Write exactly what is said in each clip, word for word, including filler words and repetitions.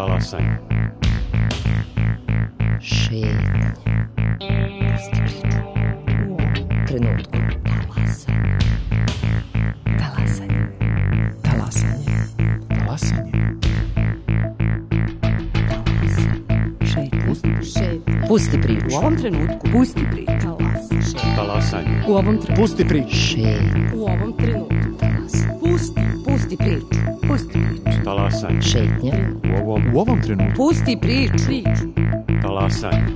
Talasanje. Šetnje. Pusti priču. U ovom trenutku. Talasanje. Talasanje. Talasanje. Talasanje. Pusti priču. U ovom trenutku. Pusti priču. Talasanje. U ovom trenutku. Pusti priču. Šetnje. U ovom trenutku. Pusti. Pusti priču. Pusti priču. Talasanje. Šetnje. U ovom, U ovom trenutku. Pusti priču. Priču. talasanje.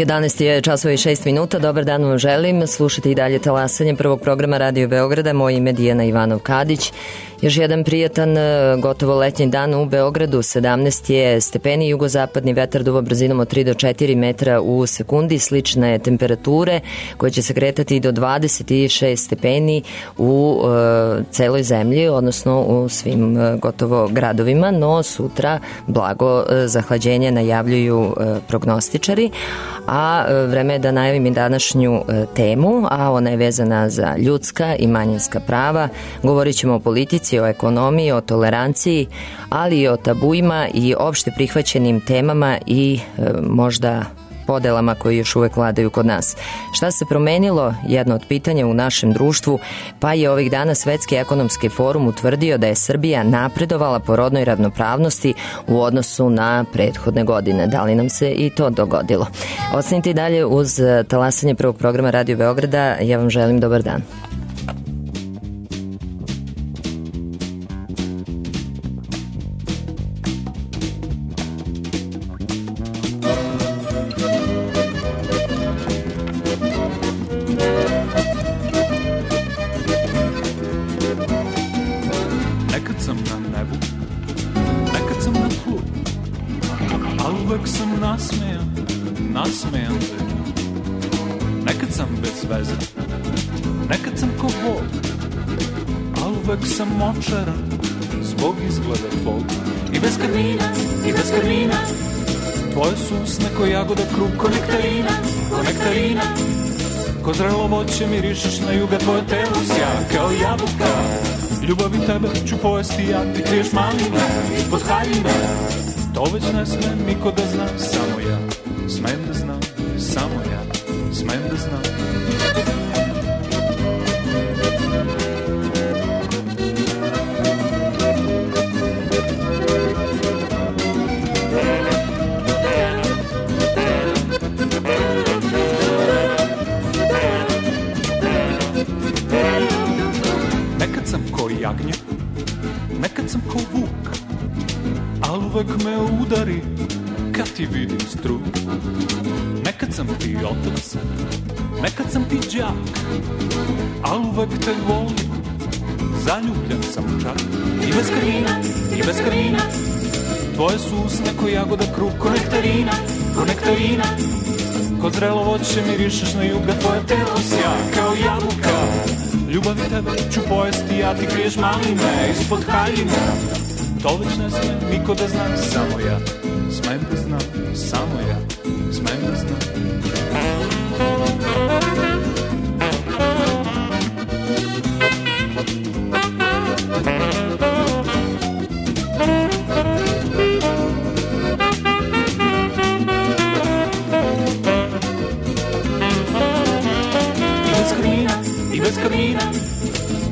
jedanaest je časova i šest minuta. Dobar dan vam želim. Slušajte i dalje talasanje prvog programa Radio Beograda. Moje ime je Dijana Ivanov-Kadić. Još jedan prijatan, gotovo letnji dan u Beogradu. sedamnaest je stepeni, jugozapadni vetar duva brzinom od tri do četiri metra u sekundi. Slične temperature koje će se kretati do dvadeset šest stepeni u e, celoj zemlji, odnosno u svim e, gotovo gradovima, no sutra blago e, zahlađenje najavljuju e, prognostičari. A vreme je da najavim i današnju e, temu, a ona je vezana za ljudska i manjinska prava. Govorit ćemo o politici, o ekonomiji, o toleranciji, ali i o tabuima i opšte prihvaćenim temama i e, možda podelama koji još uvek vladaju kod nas. Šta se promenilo? Jedno od pitanja u našem društvu, pa je ovih dana Svetski ekonomski forum utvrdio da je Srbija napredovala po rodnoj ravnopravnosti u odnosu na prethodne godine. Da li nam se i to dogodilo? Ostanite i dalje uz talasanje prvog programa Radio Beograda. Ja vam želim dobar dan. Zbog izgleda tvog i bez karmina, i bez karmina. Tvoje su usne ko jagoda, krug ko nektarina, ko nektarina. Ko zrelo voće mirišeš na juga, tvoje telo sja kao jabuka. Ljubavi tebe ću pojesti ja, ti kriješ malina ispod haljina. To već ne sme niko da zna, samo ja smem da znam, samo ja smem da znam. Jagnje, nekad sam ko vuk, al uvek me udari kad ti vidim struk. Nekad sam ti otac, nekad sam ti đak, al uvek te volim, zaljubljen sam čak. I bez karmina, i bez karmina, tvoje su usne ko jagoda, krug ko nektarina, ko nektarina. Ko zrelo voće mirišeš na juga, tvoje telo sja kao jabuka. Ljubavi tebe ću pojesti, ja ti kriješ maline ispod haljina. To već ne sme niko da zna, samo ja smem da znam, samo ja smem da znam.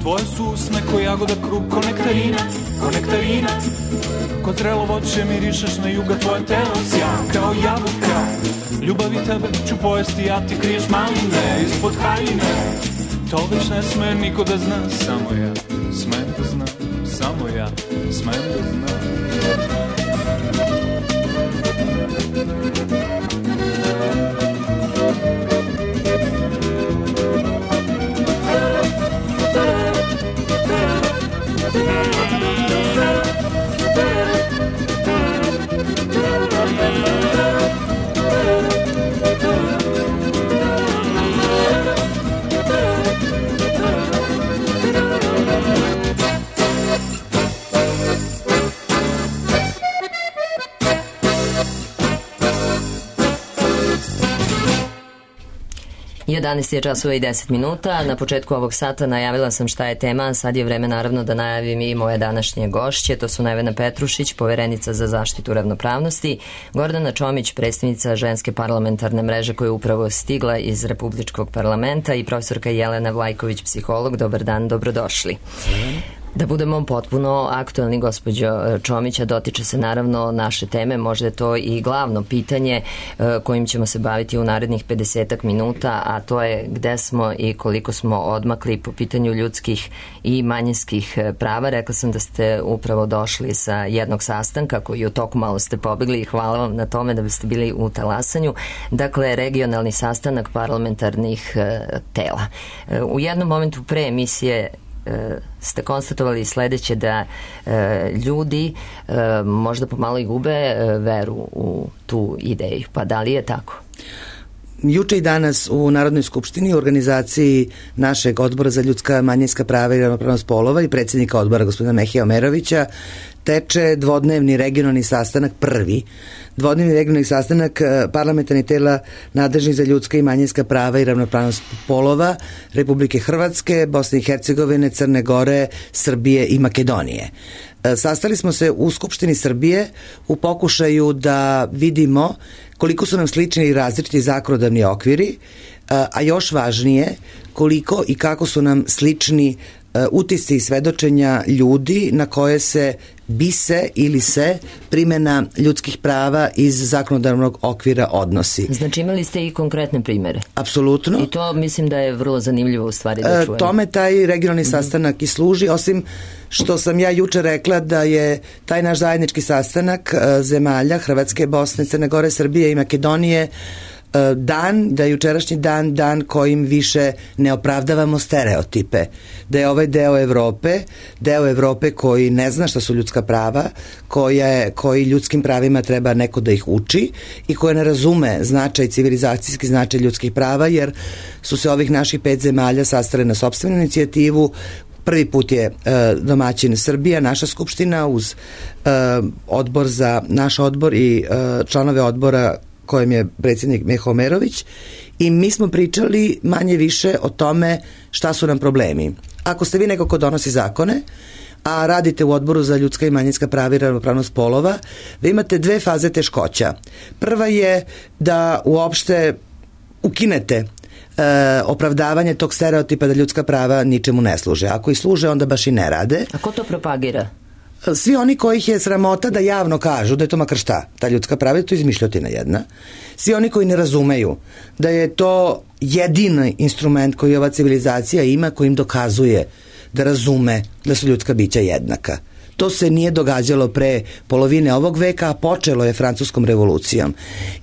Tvoje su usne ko jagoda, krug ko nektarina, ko nektarina. Ko zrelo voće mirišeš na juga, tvoje telo sja kao jabuka. Ljubavi tebe ću pojesti, ja ti kriješ maline ispod haljine. To već ne sme niko da zna, samo ja smem da znam, samo ja smem da znam. jedanaest je časova i deset minuta. Na početku ovog sata najavila sam šta je tema, sad je vreme naravno da najavim i moje današnje gošće. To su Nevena Petrušić, poverenica za zaštitu ravnopravnosti, Gordana Čomić, predstavnica Ženske parlamentarne mreže koja je upravo stigla iz Republičkog parlamenta, i profesorka Jelena Vlajković, psiholog. Dobar dan, dobrodošli. Da budemo potpuno aktualni, gospođo Čomića, dotiče se naravno naše teme, možda je to i glavno pitanje kojim ćemo se baviti u narednih pedesetak minuta, a to je gde smo i koliko smo odmakli po pitanju ljudskih i manjinskih prava. Rekla sam da ste upravo došli sa jednog sastanka koji u toku malo ste pobegli i hvala vam na tome da biste bili u talasanju. Dakle, regionalni sastanak parlamentarnih tela. U jednom momentu pre emisije ste konstatovali sledeće, da e, ljudi e, možda pomalo i gube e, veru u tu ideju. Pa da li je tako? Juče i danas u Narodnoj skupštini u organizaciji našeg odbora za ljudska manjinska prava i ravnopravnost polova i predsjednika odbora gospodina Mehija Omerovića teče dvodnevni regionalni sastanak, prvi dvodnevni regionalni sastanak parlamentarnih tela nadležnih za ljudska i manjinska prava i ravnopravnost polova Republike Hrvatske, Bosne i Hercegovine, Crne Gore, Srbije i Makedonije. Sastali smo se u Skupštini Srbije u pokušaju da vidimo koliko su nam slični i različiti zakonodavni okviri, a još važnije koliko i kako su nam slični utisci i svedočenja ljudi na koje se bi se ili se primjena ljudskih prava iz zakonodavnog okvira odnosi. Znači imali ste i konkretne primere? Apsolutno. I to mislim da je vrlo zanimljivo u stvari da čujem. Tome taj regionalni sastanak i služi, osim što sam ja juče rekla da je taj naš zajednički sastanak zemalja Hrvatske, Bosne, Crne Gore, Srbije i Makedonije dan, da je jučerašnji dan dan kojim više ne opravdavamo stereotipe, da je ovaj deo Evrope, deo Evrope koji ne zna šta su ljudska prava, koja je, koji ljudskim pravima treba neko da ih uči i koja ne razume značaj, civilizacijski značaj ljudskih prava, jer su se ovih naših pet zemalja sastale na sopstvenu inicijativu. Prvi put je uh, domaćin Srbija, naša skupština uz uh, odbor za naš odbor i uh, članove odbora kojem je predsjednik Meho Omerović, i mi smo pričali manje više o tome šta su nam problemi. Ako ste vi neko ko donosi zakone, a radite u odboru za ljudska i manjinska prava i ravnopravnost polova, vi imate dve faze teškoća. Prva je da uopšte ukinete e, opravdavanje tog stereotipa da ljudska prava ničemu ne služe. Ako i služe, onda baš i ne rade. A ko to propagira? Svi oni kojih je sramota da javno kažu da je to makar šta, ta ljudska prava, je to izmišljotina jedna. Svi oni koji ne razumeju da je to jedini instrument koji ova civilizacija ima, koji im dokazuje da razume da su ljudska bića jednaka. To se nije događalo pre polovine ovog veka, a počelo je Francuskom revolucijom.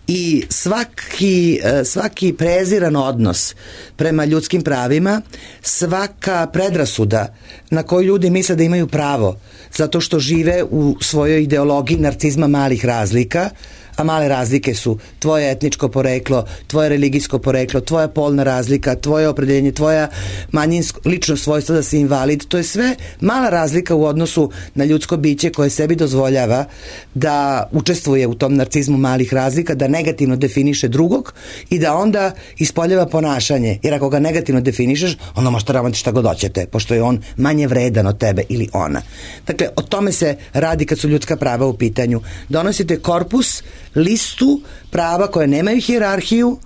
I svaki, svaki preziran odnos prema ljudskim pravima, svaka predrasuda na koju ljudi misle da imaju pravo zato što žive u svojoj ideologiji narcizma malih razlika, a male razlike su tvoje etničko poreklo, tvoje religijsko poreklo, tvoja polna razlika, tvoje opredeljenje, tvoja manjinsko, lično svojstvo da si invalid, to je sve mala razlika u odnosu na ljudsko biće koje sebi dozvoljava da učestvuje u tom narcizmu malih razlika, da negativno definiše drugog i da onda ispoljava ponašanje, jer ako ga negativno definišeš, onda možete raditi šta god hoćete, pošto je on manje vredan od tebe ili ona. Dakle, o tome se radi kad su ljudska prava u pitanju. Donosite korpus, listu prava koje nemaju hijerarhiju,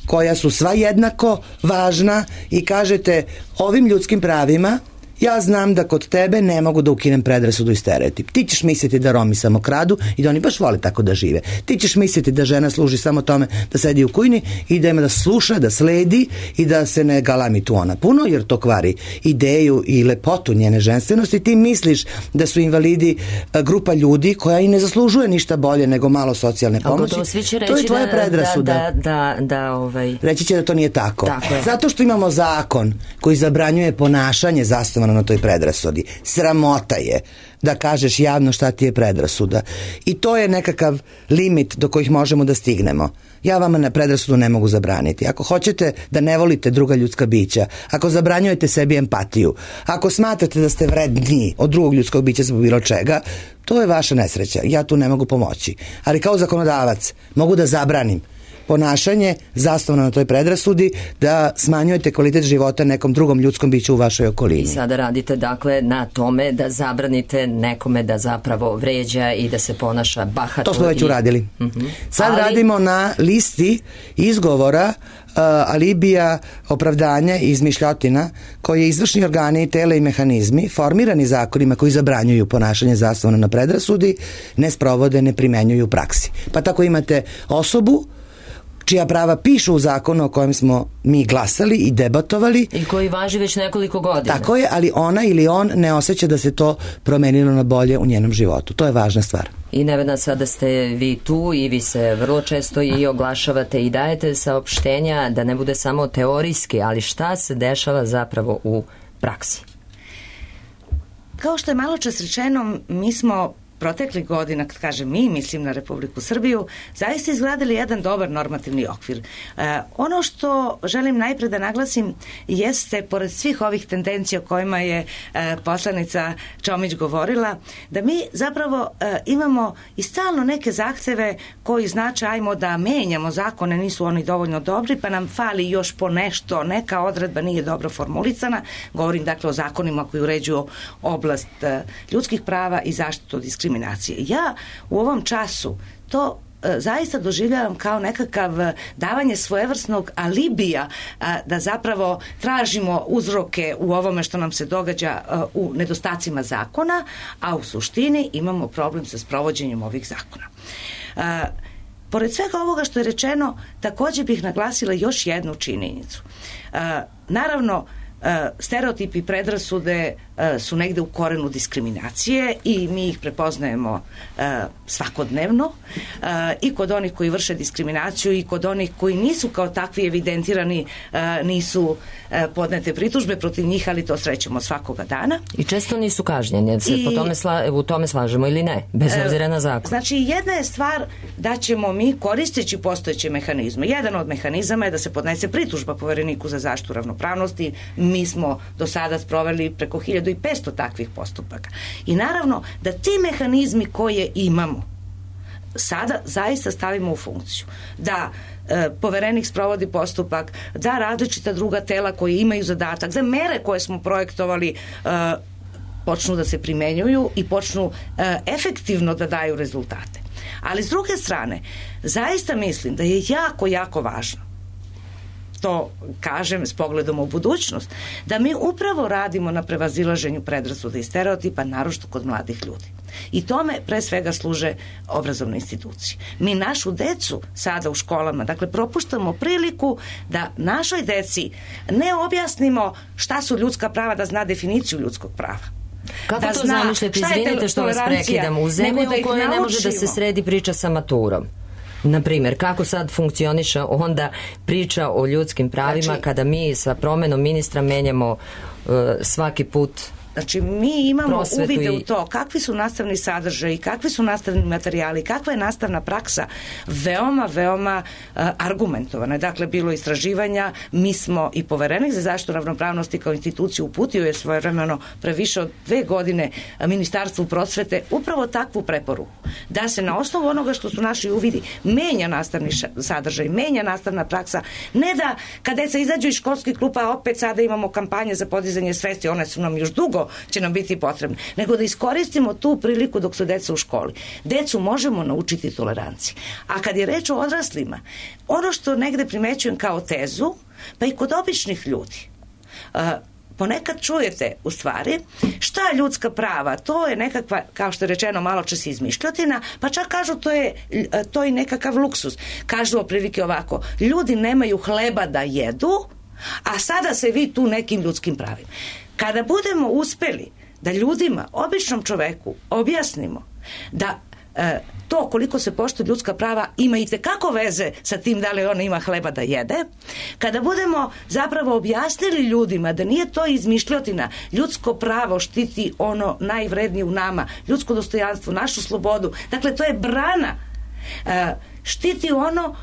koja su sva jednako važna, i kažete ovim ljudskim pravima ja znam da kod tebe ne mogu da ukinem predrasudu i stereotip. Ti ćeš misliti da Romi samo kradu i da oni baš vole tako da žive. Ti ćeš misliti da žena služi samo tome da sedi u kujni i da ima da sluša, da sledi i da se ne galami tu ona puno, jer to kvari ideju i lepotu njene ženstvenosti. Ti misliš da su invalidi grupa ljudi koja i ne zaslužuje ništa bolje nego malo socijalne pomoći. To je tvoja predrasuda. Da, da, da, da, ovaj... Reći će da to nije tako. tako Zato što imamo zakon koji zabranjuje ponašanje zasnovano na toj predrasudi. Sramota je da kažeš javno šta ti je predrasuda. I to je nekakav limit do kojih možemo da stignemo. Ja vama na predrasudu ne mogu zabraniti. Ako hoćete da ne volite druga ljudska bića, ako zabranjujete sebi empatiju, ako smatrate da ste vredniji od drugog ljudskog bića zbog bilo čega, to je vaša nesreća. Ja tu ne mogu pomoći. Ali kao zakonodavac mogu da zabranim ponašanje zasnovano na toj predrasudi da smanjujete kvalitet života nekom drugom ljudskom biću u vašoj okolini. I sada radite dakle na tome da zabranite nekome da zapravo vređa i da se ponaša bahato. To smo već i... uradili. Uh-huh. Sad Ali... radimo na listi izgovora, uh, alibija, opravdanja i izmišljotina koje izvršni organi, tela i mehanizmi formirani zakonima koji zabranjuju ponašanje zasnovano na predrasudi ne sprovode, ne primenjuju u praksi. Pa tako imate osobu čija prava pišu u zakonu o kojem smo mi glasali i debatovali. I koji važi već nekoliko godina. Tako je, ali ona ili on ne osjeća da se to promenilo na bolje u njenom životu. To je važna stvar. I Nevena, sada ste vi tu i vi se vrlo često i oglašavate i dajete saopštenja da ne bude samo teorijski, ali šta se dešava zapravo u praksi? Kao što je malo čas rečeno, mi smo proteklih godina, kad kažem mi, mislim na Republiku Srbiju, zaista izgradili jedan dobar normativni okvir. E, ono što želim najpre da naglasim jeste, pored svih ovih tendencija o kojima je e, poslanica Čomić govorila, da mi zapravo e, imamo i stalno neke zahteve koji znače ajmo da menjamo zakone, nisu oni dovoljno dobri, pa nam fali još po nešto, neka odredba nije dobro formulisana. Govorim dakle o zakonima koji uređuju oblast e, ljudskih prava i zaštitu od diskriminacije. Ja u ovom času to e, zaista doživljavam kao nekakav e, davanje svojevrsnog alibija e, da zapravo tražimo uzroke u ovome što nam se događa e, u nedostacima zakona, a u suštini imamo problem sa sprovođenjem ovih zakona. E, pored svega ovoga što je rečeno, također bih naglasila još jednu činjenicu. E, naravno, E, stereotipi i predrasude e, su negde u korenu diskriminacije i mi ih prepoznajemo e, svakodnevno e, i kod onih koji vrše diskriminaciju i kod onih koji nisu kao takvi evidentirani, e, nisu e, podnete pritužbe protiv njih, ali to srećemo svakoga dana. I često nisu kažnjeni, jer se I, po tome sla, u tome slažemo ili ne, bez obzira na zakon. Znači, jedna je stvar da ćemo mi, koristeći postojeće mehanizme, jedan od mehanizama je da se podnese pritužba Povereniku za zaštitu ravnopravnosti. Mi smo do sada sproveli preko hiljadu petsto takvih postupaka. I naravno da ti mehanizmi koje imamo sada zaista stavimo u funkciju. Da e, Poverenik sprovodi postupak, da različita druga tela koje imaju zadatak, da mere koje smo projektovali e, počnu da se primenjuju i počnu e, efektivno da daju rezultate. Ali s druge strane, zaista mislim da je jako, jako važno, to kažem s pogledom u budućnost, da mi upravo radimo na prevazilaženju predrasuda i stereotipa, naročito kod mladih ljudi. I tome pre svega služe obrazovne institucije. Mi našu decu sada u školama, dakle, propuštamo priliku da našoj deci ne objasnimo šta su ljudska prava, da zna definiciju ljudskog prava. Kako da to zna, zamišljate, izvinite što vas prekidam, u zemlji u kojoj ne može da se sredi priča sa maturom? Na primjer, kako sad funkcioniše onda priča o ljudskim pravima, znači, kada mi sa promenom ministra menjamo uh, svaki put. Znači, mi imamo uvide u to kakvi su nastavni sadržaji, kakvi su nastavni materijali, kakva je nastavna praksa, veoma, veoma uh, argumentovana. Dakle, bilo istraživanja, mi smo i Poverenik za zaštitu ravnopravnosti kao instituciju uputio je svojevremeno pre više od dve godine Ministarstvu prosvete upravo takvu preporuku. Da se na osnovu onoga što su naši uvidi menja nastavni sadržaj, menja nastavna praksa. Ne da kad deca izađu iz školskih klupa opet sada imamo kampanje za podizanje svesti, one su nam još dugo će nam biti potrebne, nego da iskoristimo tu priliku dok su deca u školi. Decu možemo naučiti toleranciji. A kad je reč o odraslima, ono što negde primećujem kao tezu, pa i kod običnih ljudi, uh, ponekad čujete u stvari šta je ljudska prava, to je nekakva, kao što je rečeno malo čas izmišljotina, pa čak kažu to je, to je nekakav luksuz. Kažu oprilike ovako, ljudi nemaju hleba da jedu, a sada se vi tu nekim ljudskim pravima. Kada budemo uspeli da ljudima, običnom čoveku, objasnimo da e, to koliko se poštuje ljudska prava ima i tekako veze sa tim da li ona ima hleba da jede, kada budemo zapravo objasnili ljudima da nije to izmišljotina, ljudsko pravo štiti ono najvrednije u nama, ljudsko dostojanstvo, našu slobodu, dakle to je brana, e, štiti ono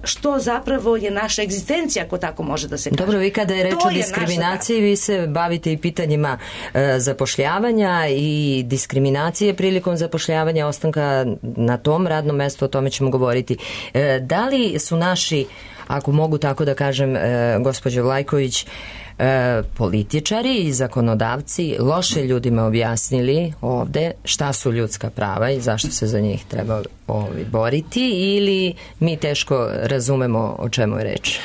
što zapravo je naša egzistencija, ako tako može da se kaže. Dobro, vi kada je reč to o diskriminaciji, vi se bavite i pitanjima e, zapošljavanja i diskriminacije prilikom zapošljavanja, ostanka na tom radnom mestu, o tome ćemo govoriti. E, da li su naši, ako mogu tako da kažem, e, gospođo Vlajković, E, političari i zakonodavci loše ljudima objasnili ovde šta su ljudska prava i zašto se za njih treba ovi boriti, ili mi teško razumemo o čemu je reč?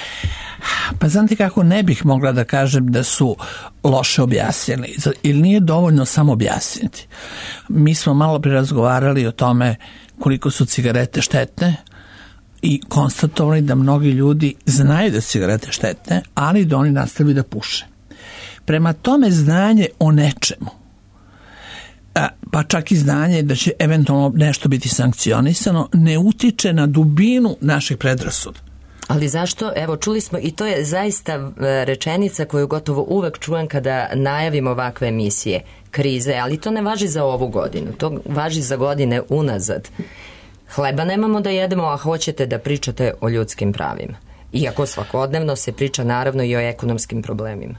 Pa znate kako, ne bih mogla da kažem da su loše objasnili, ili nije dovoljno samo objasniti. Mi smo malo pre razgovarali o tome koliko su cigarete štetne i konstatovali da mnogi ljudi znaju da su cigarete štetne, ali da oni nastavljaju da puše. Prema tome, znanje o nečemu, pa čak i znanje da će eventualno nešto biti sankcionisano, ne utiče na dubinu naših predrasuda. Ali zašto? Evo, čuli smo, i to je zaista rečenica koju gotovo uvek čujem kada najavim ovakve emisije, krize, ali to ne važi za ovu godinu, to važi za godine unazad. Hleba nemamo da jedemo, a hoćete da pričate o ljudskim pravima. Iako svakodnevno se priča naravno i o ekonomskim problemima.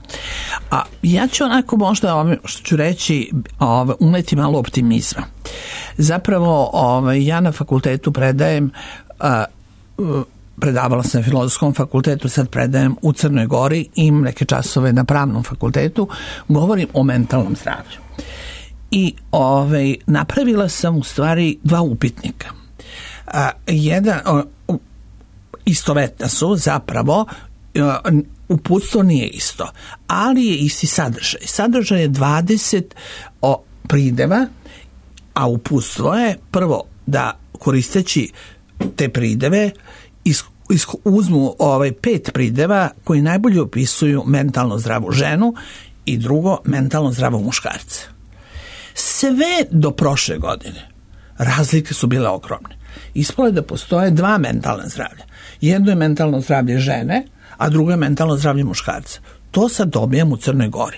A ja ću onako možda, ove, što ću reći, ove, uneti malo optimizma. Zapravo ove, ja na fakultetu predajem, a, predavala sam na Filozofskom fakultetu, sad predajem u Crnoj Gori, imam neke časove na Pravnom fakultetu, govorim o mentalnom zdravlju. I ove, napravila sam u stvari dva upitnika. A, jedan, o, istovetna su zapravo, uputstvo nije isto, ali je isti sadržaj. Sadržaj je dvadeset o, prideva, a uputstvo je prvo da koristeći te prideve is, is, uzmu ovaj, pet prideva koji najbolje opisuju mentalno zdravu ženu i drugo mentalno zdravog muškarca. Sve do prošle godine razlike su bile ogromne. Ispalo je da postoje dva mentalna zdravlja. Jedno je mentalno zdravlje žene, a drugo je mentalno zdravlje muškarca. To sad dobijam u Crnoj Gori.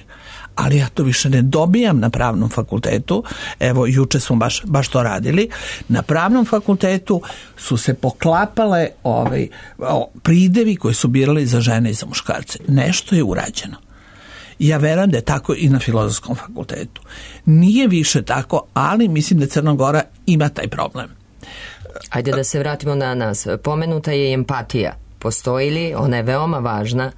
Ali ja to više ne dobijam na Pravnom fakultetu. Evo, juče smo baš, baš to radili. Na Pravnom fakultetu su se poklapale ovaj, o, pridevi koji su birali za žene i za muškarce. Nešto je urađeno. Ja verujem da je tako i na Filozofskom fakultetu. Nije više tako, ali mislim da Crna Gora ima taj problem. Ajde da se vratimo na nas. Pomenuta je empatija. Postoji li? Ona je veoma važna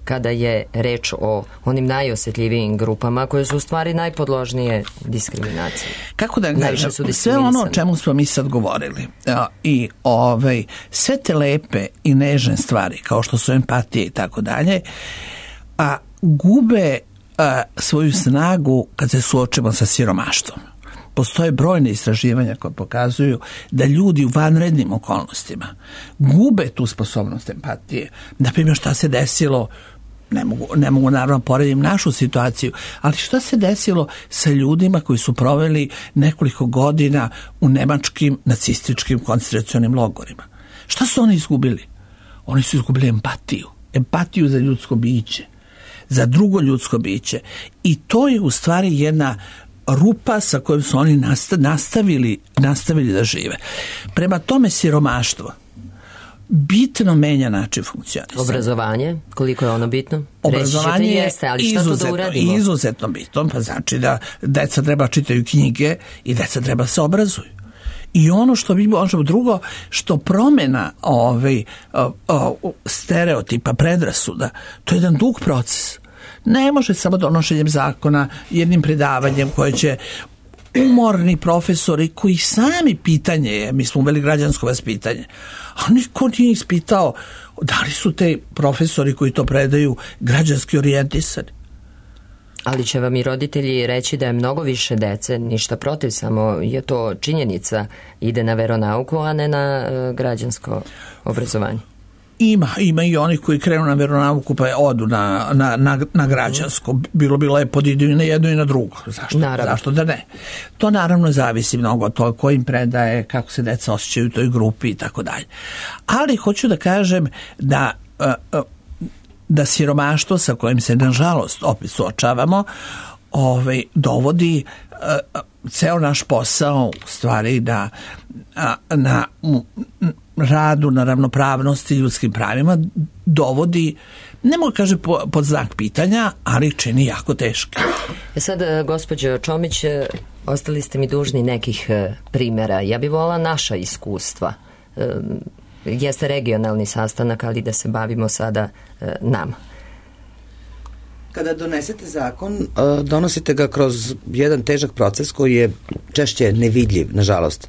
kada je reč o onim najosjetljivijim grupama koje su u stvari najpodložnije diskriminacije. Kako da kažem, sve ono o čemu smo mi sad govorili i ovaj, sve te lepe i nežne stvari kao što su empatije i tako dalje, a gube a, svoju snagu kad se suočimo sa siromaštvom. Postoje brojne istraživanja koje pokazuju da ljudi u vanrednim okolnostima gube tu sposobnost empatije. Naprimjer, šta se desilo, ne mogu, ne mogu naravno poredim našu situaciju, ali šta se desilo sa ljudima koji su proveli nekoliko godina u nemačkim nacističkim koncentracionim logorima? Šta su oni izgubili? Oni su izgubili empatiju. Empatiju za ljudsko biće, za drugo ljudsko biće. I to je u stvari jedna rupa sa kojom su oni nastavili, nastavili da žive. Prema tome, siromaštvo bitno menja način funkcionisanja. Obrazovanje, koliko je ono bitno? Obrazovanje je jeste, ali šta to da uradimo? Izuzetno bitno, pa znači da deca treba čitaju knjige i deca treba se obrazuju. I ono što bi možemo drugo, što promena ovaj, o, o, stereotipa, predrasuda, to je jedan dug proces. Ne može samo donošenjem zakona, jednim predavanjem koje će umorni profesori koji sami pitanje je, mi smo uveli građansko vaspitanje, a niko nije ispitao da li su te profesori koji to predaju građanski orijentisani. Ali će vam i roditelji reći da je mnogo više dece, ništa protiv, samo je to činjenica, ide na veronauku, a ne na uh, građansko obrazovanje. Ima, ima i onih koji krenu na veronauku pa odu na, na, na, na građansko. Bilo bi lepo da idu i na jedno i na drugo. Zašto? Zašto da ne? To naravno zavisi mnogo od toga ko im predaje, kako se deca osjećaju u toj grupi i tako dalje. Ali hoću da kažem da, da siromaštvo sa kojim se nažalost opet suočavamo ovaj, dovodi ceo naš posao u stvari da a, na m, radu, na ravnopravnosti i ljudskim pravima dovodi, ne mogu kaže po, pod znak pitanja, ali čini jako teško. E sad, gospođo Čomić, ostali ste mi dužni nekih primjera. Ja bih volila naša iskustva. E, jeste regionalni sastanak, ali da se bavimo sada e, nama. Kada donesete zakon, donosite ga kroz jedan težak proces koji je češće nevidljiv, nažalost,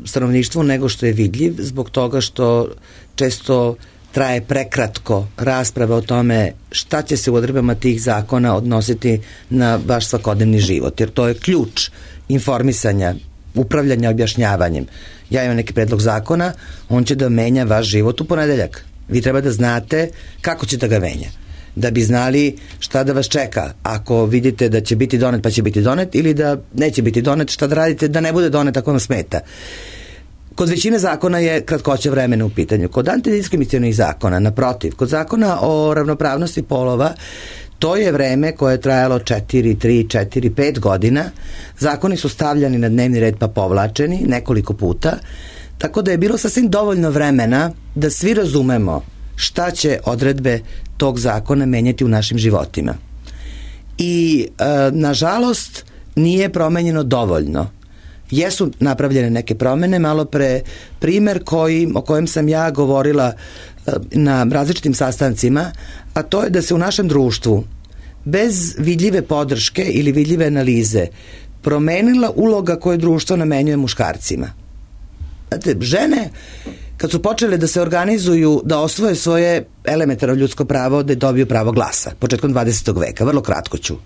stanovništvu nego što je vidljiv, zbog toga što često traje prekratko rasprava o tome šta će se u odredbama tih zakona odnositi na vaš svakodnevni život, jer to je ključ informisanja, upravljanja objašnjavanjem. Ja imam neki predlog zakona, on će da menja vaš život u ponedeljak. Vi treba da znate kako će da ga menja, da bi znali šta da vas čeka ako vidite da će biti donet pa će biti donet, ili da neće biti donet, šta da radite da ne bude donet ako vam smeta. Kod većine zakona je kratkoća vremena u pitanju. Kod antidiskriminacionih zakona, naprotiv, kod zakona o ravnopravnosti polova, to je vreme koje je trajalo četiri, tri, četiri, pet godina. Zakoni su stavljani na dnevni red pa povlačeni nekoliko puta, tako da je bilo sasvim dovoljno vremena da svi razumemo šta će odredbe tog zakona menjati u našim životima. I, e, nažalost, nije promenjeno dovoljno. Jesu napravljene neke promene, malo pre primer koji, o kojem sam ja govorila e, na različitim sastancima, a to je da se u našem društvu bez vidljive podrške ili vidljive analize promenila uloga koju društvo namenjuje muškarcima. Znate, žene kad su počele da se organizuju, da osvoje svoje elementarno ljudsko pravo, da dobiju pravo glasa, početkom dvadesetog veka, vrlo kratko ću.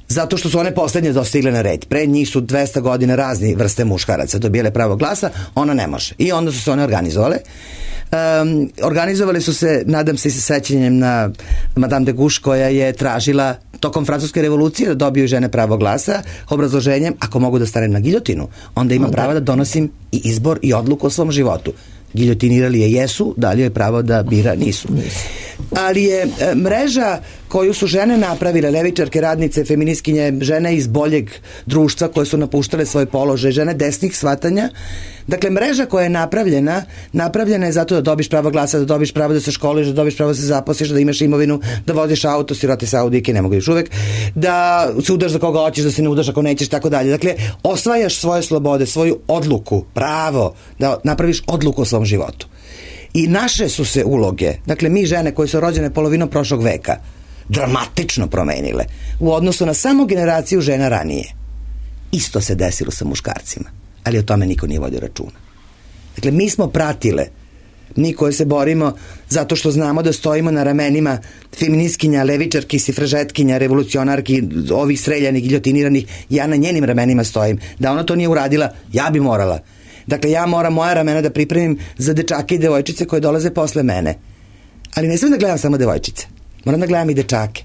Zato što su one poslednje dostigle na red. Pre njih su dvesta godina razni vrste muškaraca dobijele pravo glasa, ona ne može. I onda su se one organizovale. Um, organizovali su se, nadam se i sa sećanjem na Madame de Gouche, koja je tražila tokom francuske revolucije da dobiju žene pravo glasa, obrazloženjem, ako mogu da stanem na giljotinu, onda ima pravo da donosim i izbor i odluku o svom životu. Giljotinirali je jesu, da li je pravo da bira nisu. Ali je e, mreža koju su žene napravile, levičarke, radnice, feministkinje, žene iz boljeg društva koje su napuštale svoj položaj, žene desnih shvatanja, dakle mreža koja je napravljena, napravljena je zato da dobiš pravo glasa, da dobiš pravo da se školiš, da dobiš pravo da se zaposliš, da imaš imovinu, da voziš auto, sirote Saudike, ne mogu još uvek, da se udaš za koga hoćeš, da se ne udaš ako nećeš, tako dalje. Dakle, osvajaš svoje slobode, svoju odluku, pravo da napraviš odluku o svom životu. I naše su se uloge, dakle mi žene koje su rođene polovinom prošlog veka, dramatično promenile u odnosu na samo generaciju žena ranije. Isto se desilo sa muškarcima, ali o tome niko nije vodio računa. Dakle, mi smo pratile, mi koje se borimo zato što znamo da stojimo na ramenima feministkinja, levičarki, sifražetkinja, revolucionarki, ovih streljanih, giljotiniranih, ja na njenim ramenima stojim. Da ona to nije uradila, ja bi morala. Dakle, ja moram moja ramena da pripremim za dečake i devojčice koje dolaze posle mene. Ali ne smijem da gledam samo devojčice. Moram da gledam i dečake.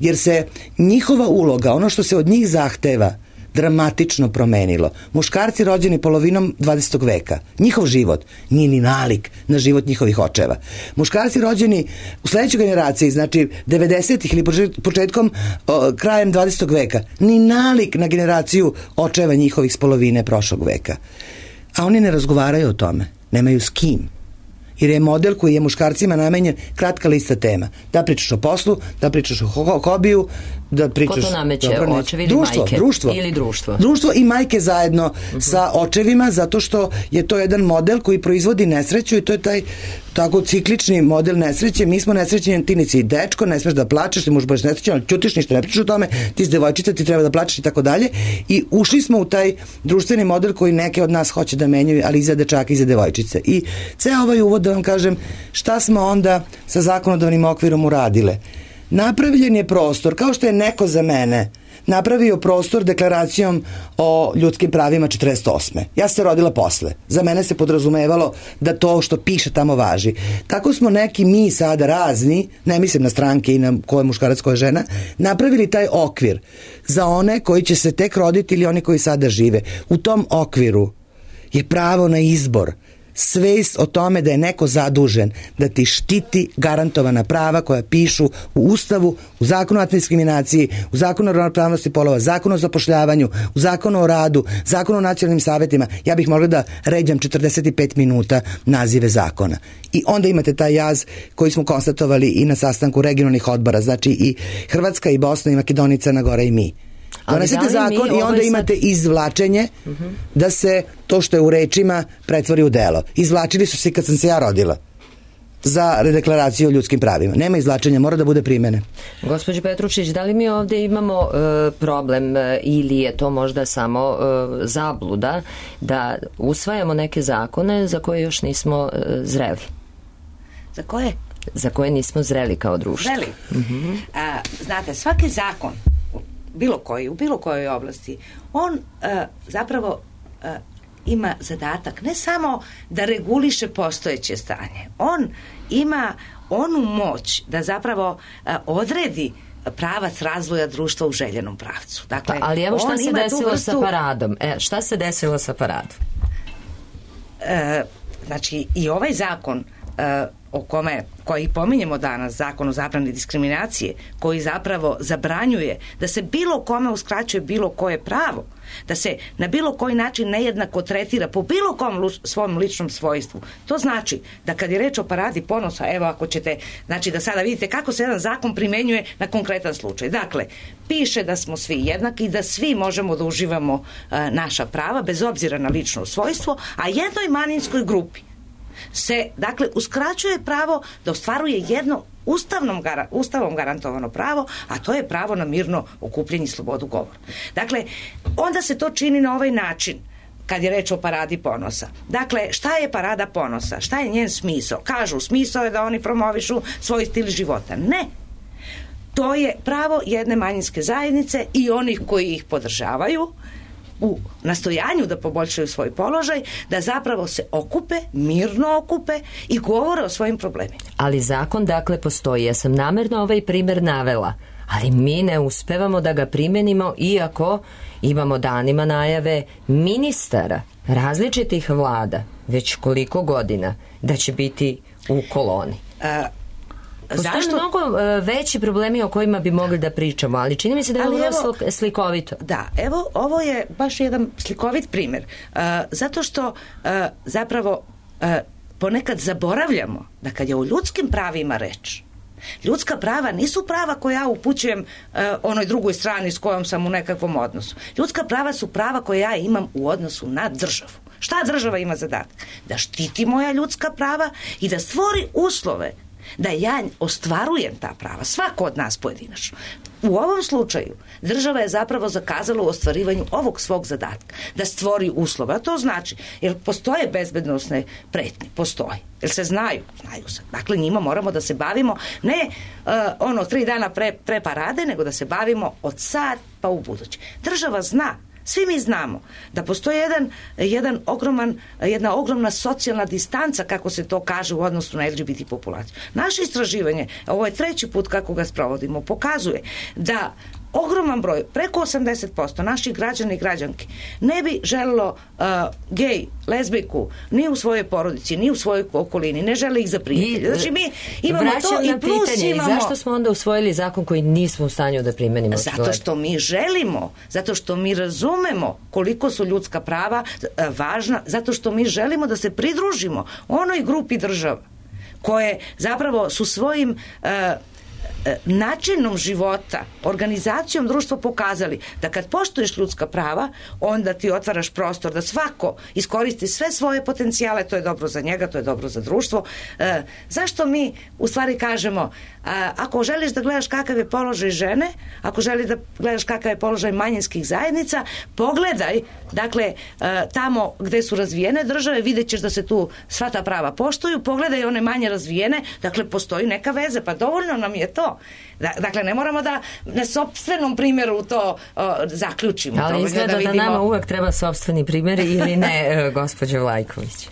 Jer se njihova uloga, ono što se od njih zahteva, dramatično promenilo. Muškarci rođeni polovinom dvadesetog veka, njihov život nije ni nalik na život njihovih očeva. Muškarci rođeni u sledećoj generaciji, znači devedesetih ili početkom, o, krajem dvadesetog veka, ni nalik na generaciju očeva njihovih s polovine prošlog veka. A oni ne razgovaraju o tome, nemaju s kim. Jer je model koji je muškarcima namenjen kratka lista tema. Da pričaš o poslu, da pričaš o ho- hobiju, da pričaš... Ko to nameće, dobro, očevi ili društvo, majke? Društvo. Ili društvo? Društvo i majke zajedno uh-huh. sa očevima, zato što je to jedan model koji proizvodi nesreću i to je taj tako ciklični model nesreće. Mi smo nesrećeni, ti nisi dečko, ne smeš da plačeš, ti možeš biti nesrećen, ali ćutiš, ništa ne pričaš o tome, ti si devojčica, ti treba da plačeš i tako dalje. I ušli smo u taj društveni model koji neke od nas hoće da menjaju, ali i za dečaka i za devojčice. I ceo ovaj uvod da vam kažem šta smo onda sa zakonodavnim okvirom uradile. Napravljen je prostor, kao što je neko za mene napravio prostor deklaracijom o ljudskim pravima četrdeset osme. Ja se rodila posle. Za mene se podrazumevalo da to što piše tamo važi. Tako smo neki mi sada razni, ne mislim na stranke i na ko je muškarac, ko je žena, napravili taj okvir za one koji će se tek roditi ili oni koji sada žive. U tom okviru je pravo na izbor svest o tome da je neko zadužen da ti štiti garantovana prava koja pišu u Ustavu, u Zakonu o antidiskriminaciji, u Zakonu o ravnopravnosti polova, Zakonu o zapošljavanju, u Zakonu o radu, Zakonu o nacionalnim savetima. Ja bih mogla da ređam četrdeset pet minuta nazive zakona. I onda imate taj jaz koji smo konstatovali i na sastanku regionalnih odbora, znači i Hrvatska i Bosna i Makedonija, Crna Gora i mi. Donesete zakon i onda imate izvlačenje da se to što je u rečima pretvori u delo. Izvlačili su se kad sam se ja rodila za redeklaraciju o ljudskim pravima. Nema izvlačenja, mora da bude primene. Gospođo Petrušić, da li mi ovde imamo e, problem e, ili je to možda samo e, zabluda da usvajamo neke zakone za koje još nismo e, zreli? Za koje? Za koje nismo zreli kao društvo. Zreli? Mm-hmm. A, znate, svaki zakon bilo koji, u bilo kojoj oblasti, on uh, zapravo uh, ima zadatak ne samo da reguliše postojeće stanje, on ima onu moć da zapravo uh, odredi pravac razvoja društva u željenom pravcu. Dakle, pa, ali evo šta se desilo vrstu... sa paradom? E, šta se desilo sa paradom? Uh, znači, i ovaj zakon uh, o kome, koji pominjemo danas, zakon o zabrani diskriminacije, koji zapravo zabranjuje da se bilo kome uskraćuje bilo koje pravo, da se na bilo koji način nejednako tretira po bilo kom lu, svom ličnom svojstvu. To znači da kad je reč o paradi ponosa, evo ako ćete, znači da sada vidite kako se jedan zakon primenjuje na konkretan slučaj. Dakle, piše da smo svi jednaki i da svi možemo da uživamo uh, naša prava bez obzira na lično svojstvo, a jednoj manjinskoj grupi se, dakle, uskraćuje pravo da ostvaruje jedno ustavnom, ustavom garantovano pravo, a to je pravo na mirno okupljanje i slobodu govora. Dakle, onda se to čini na ovaj način kad je reč o paradi ponosa. Dakle, šta je parada ponosa? Šta je njen smisao? Kažu, smisao je da oni promovišu svoj stil života. Ne. To je pravo jedne manjinske zajednice i onih koji ih podržavaju u nastojanju da poboljšaju svoj položaj, da zapravo se okupe, mirno okupe i govore o svojim problemima. Ali zakon dakle postoji. Ja sam namerno ovaj primer navela, ali mi ne uspevamo da ga primenimo iako imamo danima najave ministara različitih vlada već koliko godina da će biti u koloni. A, Postoje Zašto? mnogo uh, veći problemi o kojima bi mogli da pričamo, ali čini mi se da je ovo slikovito. Da, evo, ovo je baš jedan slikovit primjer. Uh, zato što uh, zapravo uh, ponekad zaboravljamo da kad je o ljudskim pravima reč, ljudska prava nisu prava koja ja upućujem uh, onoj drugoj strani s kojom sam u nekakvom odnosu. Ljudska prava su prava koje ja imam u odnosu na državu. Šta država ima zadatak? Da štiti moja ljudska prava i da stvori uslove da ja ostvarujem ta prava, svako od nas pojedinačno. U ovom slučaju država je zapravo zakazala u ostvarivanju ovog svog zadatka, da stvori uslove, a to znači, jer postoje bezbednosne pretnje, postoje, jer se znaju, znaju se. Dakle, njima moramo da se bavimo ne uh, ono tri dana pre, pre parade, nego da se bavimo od sad pa u buduće. Država zna, svi mi znamo da postoji jedan, jedan ogroman, jedna ogromna socijalna distanca, kako se to kaže, u odnosu na L G B T populaciju. Naše istraživanje, ovo je treći put kako ga sprovodimo, pokazuje da ogroman broj, preko osamdeset posto naših građana i građanki ne bi želilo uh, gej, lezbijku ni u svojoj porodici, ni u svojoj okolini, ne žele ih za prijatelje. Znači mi imamo to i plus pitanje, imamo... I zašto smo onda usvojili zakon koji nismo u stanju da primenimo? Zato što mi želimo, zato što mi razumemo koliko su ljudska prava uh, važna, zato što mi želimo da se pridružimo onoj grupi država koje zapravo su svojim uh, načinom života, organizacijom društva pokazali da kad poštuješ ljudska prava, onda ti otvaraš prostor da svako iskoristi sve svoje potencijale, to je dobro za njega, to je dobro za društvo. E, zašto mi u stvari kažemo, a, ako želiš da gledaš kakav je položaj žene, ako želiš da gledaš kakav je položaj manjinskih zajednica, pogledaj, dakle, a, tamo gde su razvijene države, vidjet ćeš da se tu sva ta prava poštuju, pogledaj one manje razvijene, dakle, postoji neka veze, pa dovoljno nam je to. Dakle, ne moramo da na sopstvenom primjeru to uh, zaključimo. Ali izgleda da, vidimo... da nama uvek treba sopstveni primjer ili ne, gospođo Vlajković?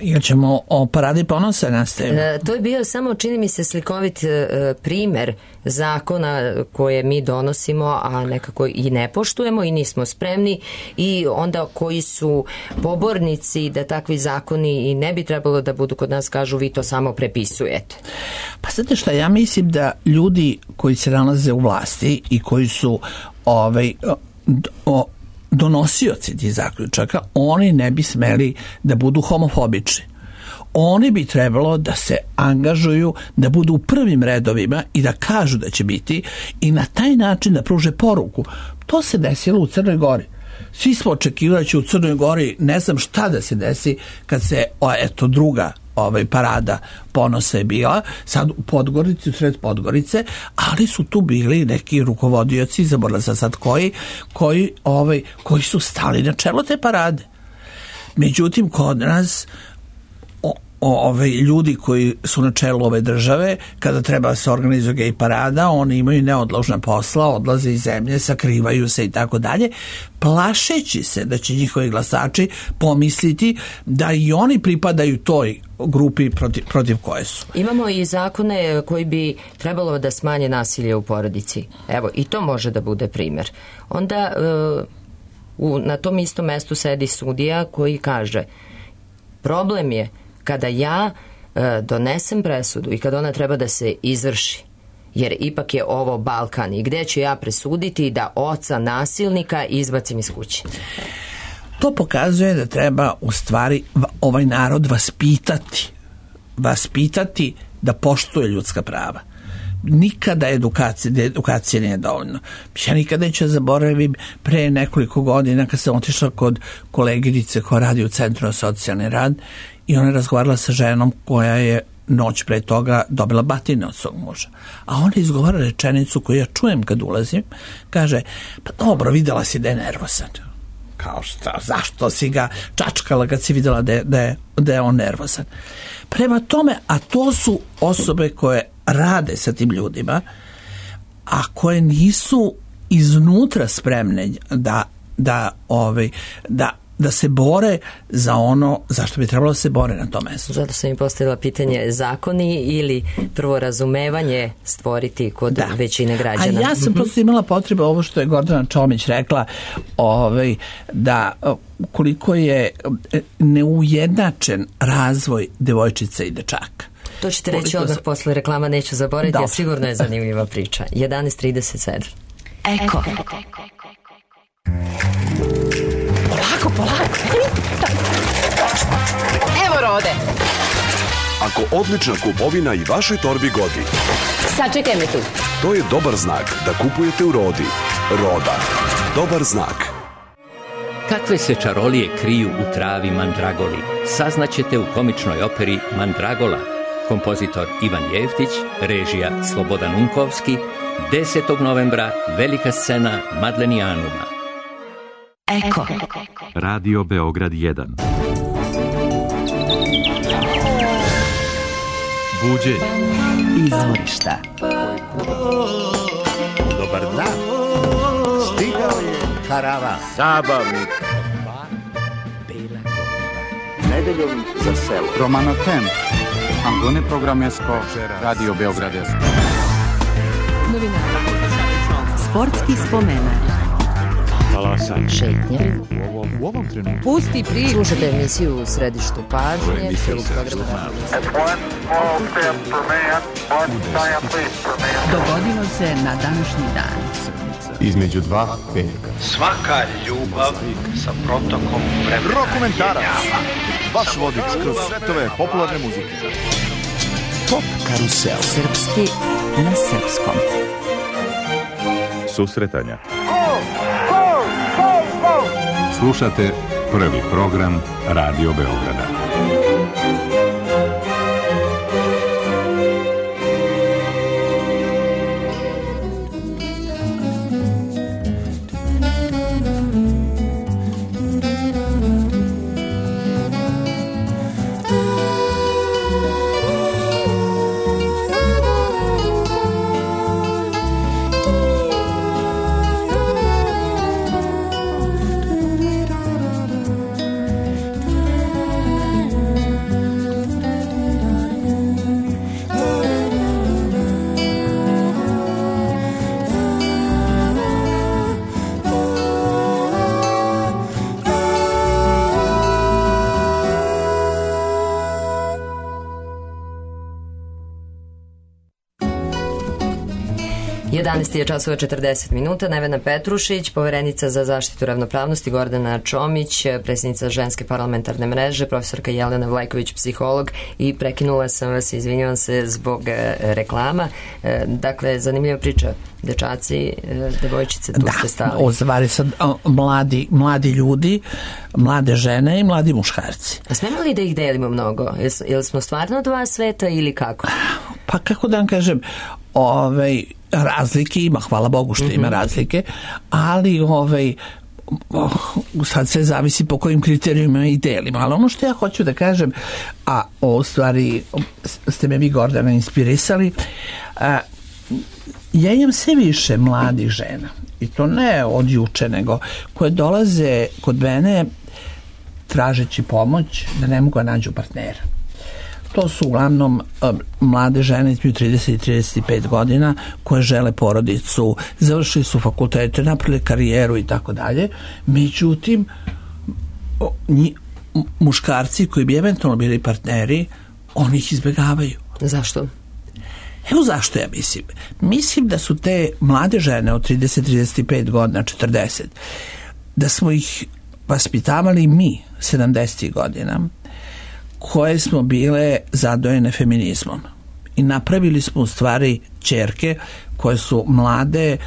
Jer ćemo o paradi ponosa nastaviti. E, to je bio samo, čini mi se, slikovit e, primer zakona koje mi donosimo, a nekako i ne poštujemo i nismo spremni, i onda koji su pobornici da takvi zakoni i ne bi trebalo da budu kod nas, kažu vi to samo prepisujete. Pa znate šta, ja mislim da ljudi koji se nalaze u vlasti i koji su ovaj, o, donosioci tih zaključaka, oni ne bi smeli da budu homofobični. Oni bi trebalo da se angažuju, da budu u prvim redovima i da kažu da će biti, i na taj način da pruže poruku. To se desilo u Crnoj Gori. Svi smo očekivali da će u Crnoj Gori, ne znam šta da se desi kad se, o, eto, druga ovaj, parada ponosa je bila, sad u Podgorici, u sred Podgorice, ali su tu bili neki rukovodioci, zaboravila sam sad koji, koji, ovaj, koji su stali na čelo te parade. Međutim, kod nas ove ljudi koji su na čelu ove države, kada treba da se organizuje gej parada, oni imaju neodložna posla, odlaze iz zemlje, sakrivaju se i tako dalje, plašeći se da će njihovi glasači pomisliti da i oni pripadaju toj grupi protiv, protiv koje su. Imamo i zakone koji bi trebalo da smanje nasilje u porodici. Evo, i to može da bude primjer. Onda uh, u, na tom istom mestu sedi sudija koji kaže, problem je kada ja e, donesem presudu i kada ona treba da se izvrši, jer ipak je ovo Balkan, i gde ću ja presuditi da oca nasilnika izbacim iz kuće? To pokazuje da treba u stvari ovaj narod vaspitati, vaspitati da poštuje ljudska prava. Nikada edukacija, edukacija nije dovoljno. Ja nikada neću zaboravim pre nekoliko godina kad sam otišla kod koleginice koja radi u Centru za socijalni rad, i ona je razgovarala sa ženom koja je noć pre toga dobila batine od svog muža. A ona izgovara rečenicu koju ja čujem kad ulazim, kaže, pa dobro, videla si da je nervozan. Kao šta, zašto si ga čačkala kad si videla da je, da je, da je on nervozan? Prema tome, a to su osobe koje rade sa tim ljudima, a koje nisu iznutra spremne da, da, ovaj, da da se bore za ono za što bi trebalo da se bore na tom mestu. Zato sam im postavila pitanje, zakoni ili prvo razumevanje stvoriti kod da. većine građana. A ja sam prosto imala potrebu, ovo što je Gordana Čomić rekla, ovaj, da koliko je neujednačen razvoj devojčica i dečaka. To ćete reći koliko odmah posle reklama, neću zaboraviti, a sigurno je zanimljiva priča. jedanaest trideset sedam. Eko. Polako, polako. Evo Rode. Ako odlična kupovina i vašoj torbi godi, sačekaj me tu. To je dobar znak da kupujete u Rodi. Roda. Dobar znak. Kakve se čarolije kriju u travi mandragoli, saznaćete u komičnoj operi Mandragola. Kompozitor Ivan Jevtić, režija Slobodan Unkovski, desetog novembra, velika scena Madlenijanuma. Eko. Radio Beograd jedan. Buđenje. Izvorišta. Dobar dan. Stigao je karavan. Zabavnik. Nedeljom za selo. Romano Tem. Antone Programesko. Radio Beogradesko. Novinara. Sportski spomenar. Talasanje. Šetnje. U ovom trenutku. Pusti priču. Slušajte emisiju u središtu pažnje. Dogodilo se na današnji dan. Između dva veka. Svaka ljubav sa protokom vremena. Rokomentarac. Vaš vodič kroz svetove popularne muzike. Pop karusel. Srpski na srpskom. Susretanja. Slušate prvi program Radio Beograda. jedanaest je časova četrdeset minuta. Nevena Petrušić, poverenica za zaštitu ravnopravnosti, Gordana Čomić, predsjednica Ženske parlamentarne mreže, profesorka Jelena Vlajković, psiholog, i prekinula sam vas, izvinjavam se zbog reklama. Dakle, zanimljiva priča. Dečaci, devojčice, tu da, ste stali. Da, ozvari sad mladi, mladi ljudi, mlade žene i mladi muškarci. A smemo li da ih delimo mnogo? Jel smo stvarno dva sveta ili kako? Pa kako da vam kažem, ovaj, razlike ima, hvala Bogu što ima razlike, ali ovaj, sad sve zavisi po kojim kriterijima i delimo, ali ono što ja hoću da kažem, a o stvari ste me vi, Gordana, inspirisali, a, ja imam sve više mladih žena, i to ne od juče, nego koje dolaze kod mene tražeći pomoć da ne mogu da nađu partnera. To su uglavnom um, mlade žene između trideset i trideset pet godina koje žele porodicu, završili su fakultete, napravili karijeru i tako dalje. Međutim, o, nji, muškarci koji bi eventualno bili partneri, oni ih izbjegavaju. Zašto? Evo zašto ja mislim. Mislim da su te mlade žene od trideset do trideset pet godina, četrdeset, da smo ih vaspitavali mi sedamdesetih godina, koje smo bile zadojene feminizmom. I napravili smo u stvari ćerke koje su mlade,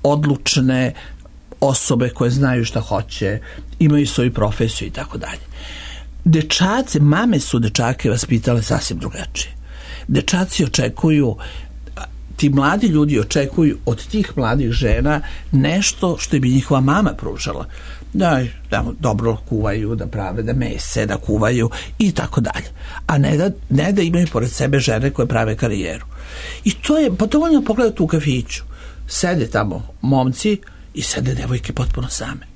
odlučne osobe koje znaju šta hoće, imaju svoju profesiju i tako dalje. Dečaci, mame su dečake vaspitale sasvim drugačije. Dečaci očekuju, ti mladi ljudi očekuju od tih mladih žena nešto što bi njihova mama pružala. Da, da dobro kuvaju, da prave, da mese, da kuvaju i tako dalje. A ne da, ne da imaju pored sebe žene koje prave karijeru. I to je, pa dovoljno pogledati u kafiću. Sede tamo momci i sede devojke potpuno same.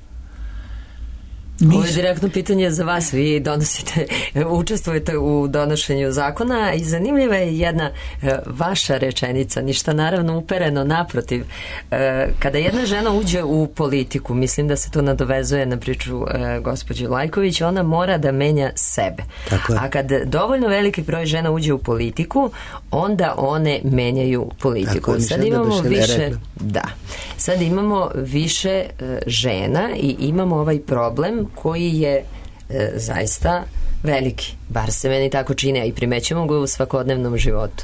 Mi... Ovo je direktno pitanje za vas. Vi donosite, učestvujete u donošenju zakona i zanimljiva je jedna e, vaša rečenica, ništa naravno upereno, naprotiv. E, kada jedna žena uđe u politiku, mislim da se to nadovezuje na priču e, gospođe Lajković, ona mora da menja sebe. A kad dovoljno veliki broj žena uđe u politiku, onda one menjaju politiku. Tako, sad imamo više, da. Sad imamo više e, žena i imamo ovaj problem koji je e, zaista veliki, bar se meni tako čini, a i primećujemo ga u svakodnevnom životu.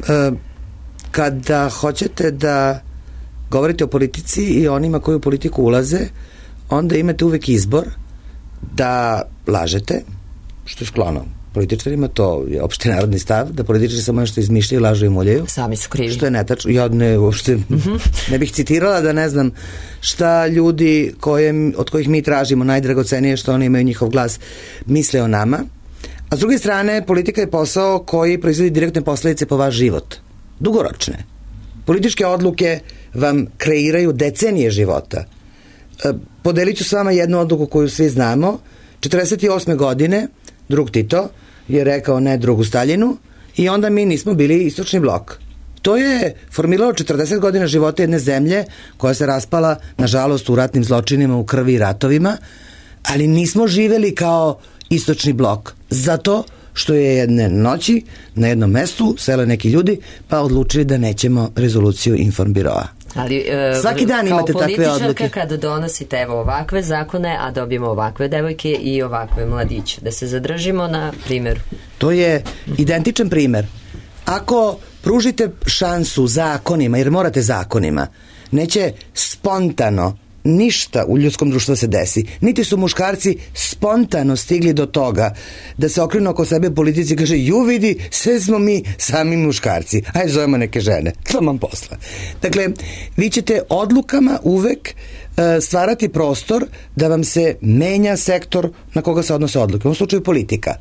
E, kada hoćete da govorite o politici i onima koji u politiku ulaze, onda imate uvek izbor da lažete, što je sklono političarima, to je opšte narodni stav, da političari samo nešto izmišljaju, lažu i muljaju. Sami su krivi. Što je netačno. Ja ne, uopšte, mm-hmm. ne bih citirala da ne znam šta ljudi koje, od kojih mi tražimo najdragocenije što oni imaju njihov glas misle o nama. A s druge strane, politika je posao koji proizvodi direktne posledice po vaš život. Dugoročne. Političke odluke vam kreiraju decenije života. Podelit ću s vama jednu odluku koju svi znamo. četrdeset osme godine drug Tito je rekao ne drugu Staljinu i onda mi nismo bili istočni blok. To je formiralo četrdeset godina života jedne zemlje koja se raspala, nažalost, u ratnim zločinima, u krvi i ratovima, ali nismo živeli kao istočni blok. Zato što je jedne noći na jednom mestu sele neki ljudi pa odlučili da nećemo rezoluciju Informbiroa. Ali, e, svaki dan imate takve odluke. Kada donosite evo ovakve zakone, a dobijemo ovakve devojke i ovakve mladiće, da se zadržimo na primjeru. To je identičan primer. Ako pružite šansu zakonima, jer morate zakonima, neće spontano ništa u ljudskom društvu se desi. Niti su muškarci spontano stigli do toga da se okrenu oko sebe politici i kaže, ju vidi, sve smo mi sami muškarci. Ajde, zovemo neke žene. To vam posla. Dakle, vi ćete odlukama uvek uh, stvarati prostor da vam se menja sektor na koga se odnose odluke. U ovom slučaju politika.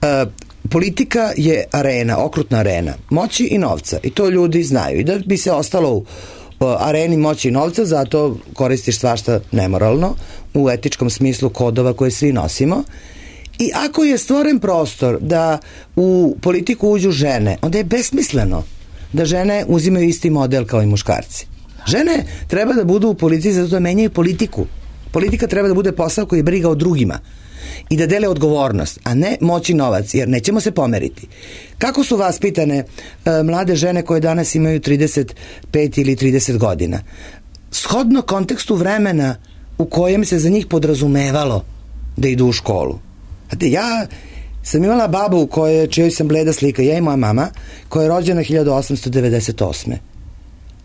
Uh, politika je arena, okrutna arena moći i novca. I to ljudi znaju. I da bi se ostalo u areni moći i novca, zato koristiš svašta nemoralno u etičkom smislu kodova koje svi nosimo. I ako je stvoren prostor da u politiku uđu žene, onda je besmisleno da žene uzimaju isti model kao i muškarci. Žene treba da budu u politici zato da menjaju politiku. Politika treba da bude posao koji je briga o drugima. i da dele odgovornost, a ne moći novac, jer nećemo se pomeriti. Kako su vaspitane e, mlade žene koje danas imaju trideset pet ili trideset godina? Shodno kontekstu vremena u kojem se za njih podrazumevalo da idu u školu. Znate, ja sam imala babu koje, čijoj sam bleda slika, ja i moja mama, koja je rođena hiljadu osamsto devedeset osme.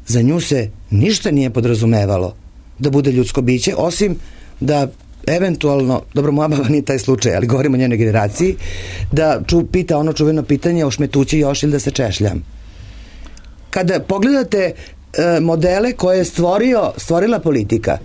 Za nju se ništa nije podrazumevalo da bude ljudsko biće, osim da eventualno, dobro, moja baba nije taj slučaj, ali govorimo o njenoj generaciji, da ču, pita ono čuveno pitanje, ošmetući još ili da se češljam. Kada pogledate e, modele koje je stvorio, stvorila politika,